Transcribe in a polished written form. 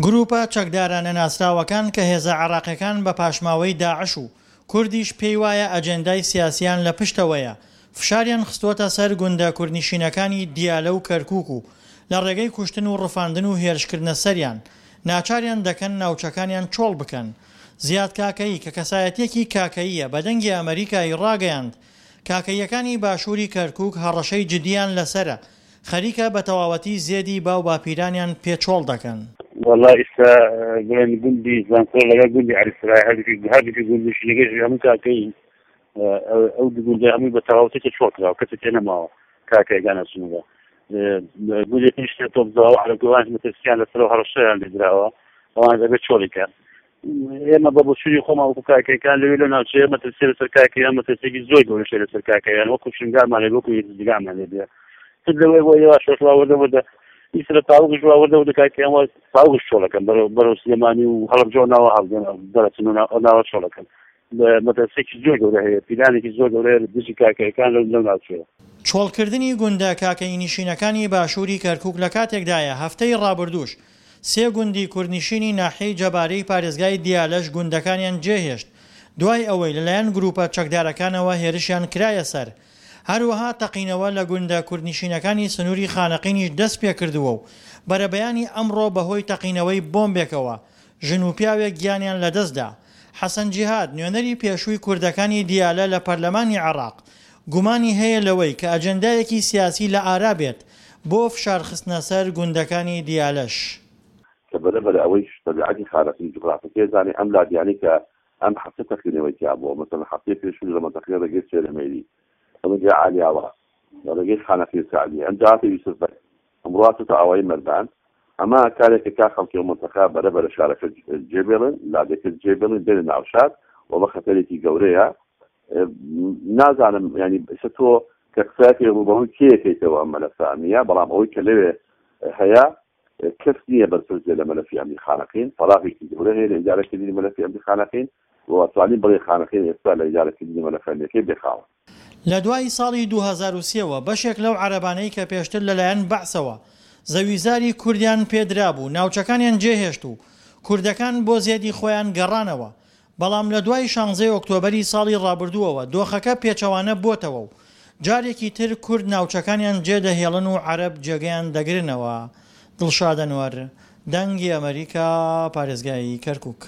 گرووپە چەکدارە نەناسراوەکان کە هێزە عێراقیەکان بە پاشماوەی داعش و کوردیش پێیوایە ئەجێندای سیاسیان لە پشتەوەیە، فشاریان خستووەتە سەر گوندە کوردنشینەکانی دیالە و کەرکووک و لە ڕێگەی کوشتن و ڕفاندن و هێرشکردنە سەریان، ناچاریان دەکەن ناوچەکانیان چۆڵ بکەن. زیاد کاکەیی کە کەسایەتییەکی کاکەییە بە دەنگی ئەمەریکا ی ڕاگەیاند، کاکەییەکانی باشووری کەرکووک هەڕەشەی جدییان لەسەرە، خەریکە بە تەواوەتی زێدی باو باپیرانیان پێ چۆڵ دەکەن. وەڵا ئیستا بڵێن گوندی زانکۆ لەگەڵ گوندی عەلی سەرای هەردووکی هەردووکی گوندنشینەکەش هەموو کاکەیین ئەو دوو گوندە هەمووی بە تەواوەتی کە چۆڵ کراوە کەسی تێ نەماوە کاکەیەکان ئەچنەوە گوندێکیش تێ تۆپ داوە عەرەبەکان مەترسیان لەسەر و هەڕەشەیان لێ دراوە ئەوان دەبێت چۆڵی کەن ئێمە بە بۆچوونی خۆمان وەکو کاکەیەکان لەوێ لەو ناوچەیە مەترسی لەسەر کاکەیان مەترسیێکی زۆر گەورەشە لەسەر کاکەیان وەکو شنگالمان لێ وەکو یەکزگامان لێ بێ تر لەوەی بۆ یەواش یەواش وا وردە وردە ئیسرە تاوگش وا وردە وردە کاکەیان وا تاوگش چۆڵەکەن بەرەو بەرەو سلێمانی و هەڵەبجە و ناوە هەڵدێن دەرەچن و ناوە چۆڵەکەن مەترسیێکی زۆر گەورە هەیە پیلانێکی زۆر گەورە هەیە دژی کاکەیەکان لەو لەو ناوچەیە. چۆڵکردنی گوندە کاکەیینیشینەکانی باشووری کەرکووک لە کاتێکدایە هەفتەی ڕابردووش سێ گوندی کوردنشینی ناحیەی جەبارەی پارێزگای دیالەش گوندەکانیان جێهێشت دوای ئەوەی لەلایەن گروپە چەکدارەکانەوە هێرشیان کرایە سەر، هەروەها تەقینەوە لە گوندە کوردنشینەکانی سنوری خانەقینیش دەستپێکردووە و بەرەبەیانی ئەمڕۆ بەهۆی تەقینەوەی بۆمبێکەوە ژن و پیاوێک گیانیان لەدەستدا. حەسەن جیهاد، نوێنەری پێشووی کوردەکانی دیالە لە پەرلەمانی عێراق، گومانی هەیە لەوەی کە ئەجێندایەکی سیاسی لە ئارا بێت بۆ فشار خستنە سەر گوندەکانی دیالەش. کە بەرە بەرە ئەوەیش تەبیعەتی خانەقین جوغرافەکەی زانێ ئەم لادیانەی کە ئەم هەفتە تەقینەوەی تیا بووە مەسەلەن هەفتەی پێشوو لە مەنتەقەی ڕێگەی سێرەمەیلی ڕێگەی عالیاوە لە ڕێگەی خانەقین سەعدی ئەمجا هاتە یوسف بەگ ئەمڕۆ هاتۆتە ئاوایی مەردان ئەمە کارێکە کا خەڵکی ئەو مەنتەقە بەرە بەرە شارەکە جێ بێڵن لادێکە جێ بێڵن بێنە ناو شار و بە خەتەرێکی گەورەیە نازانم ینی ئێستا تۆ کە قسەکەی ڕووبەڕووی کێ یەکەیتەوە ئەم مەلەفە ئەمنیە بەڵام ئەوەی کە لەوێ هەیە کەس نییە بەرپرس بێ لە مەلەفی ئەمنی خانەقین فەراغێکی گەورە هەیە لە ئیدارەکردنی مەلەفی ئەمنی خانەقین و ئەتوانین بڵێین خانەقین ئێستا لە ئیدارەکردنی مەلەفە ئەمنیەکەی بێ خاوەن. لە دوای ساڵی 2003 وە بەشێک لەو عەرەبانەی کە پێشتر لەلایەن بەعسەوە زەویزاری کوردیان پێدرابوو ناوچەکانیان جێهێشت و کوردەکان بۆ زێدی خۆیان گەڕانەوە بەڵام لە دوای شانزەی ئۆکتۆبەری ساڵی ڕابردووەوە دۆخەکە پێچەوانە بۆتەوە و جارێکی تر کورد ناوچەکانیان جێدەهێڵن و عەرەب جێگەیان دەگرنەوە. دڵشاد ئەنوەر، دەنگی ئەمەریکا، پارێزگای کەرکوک.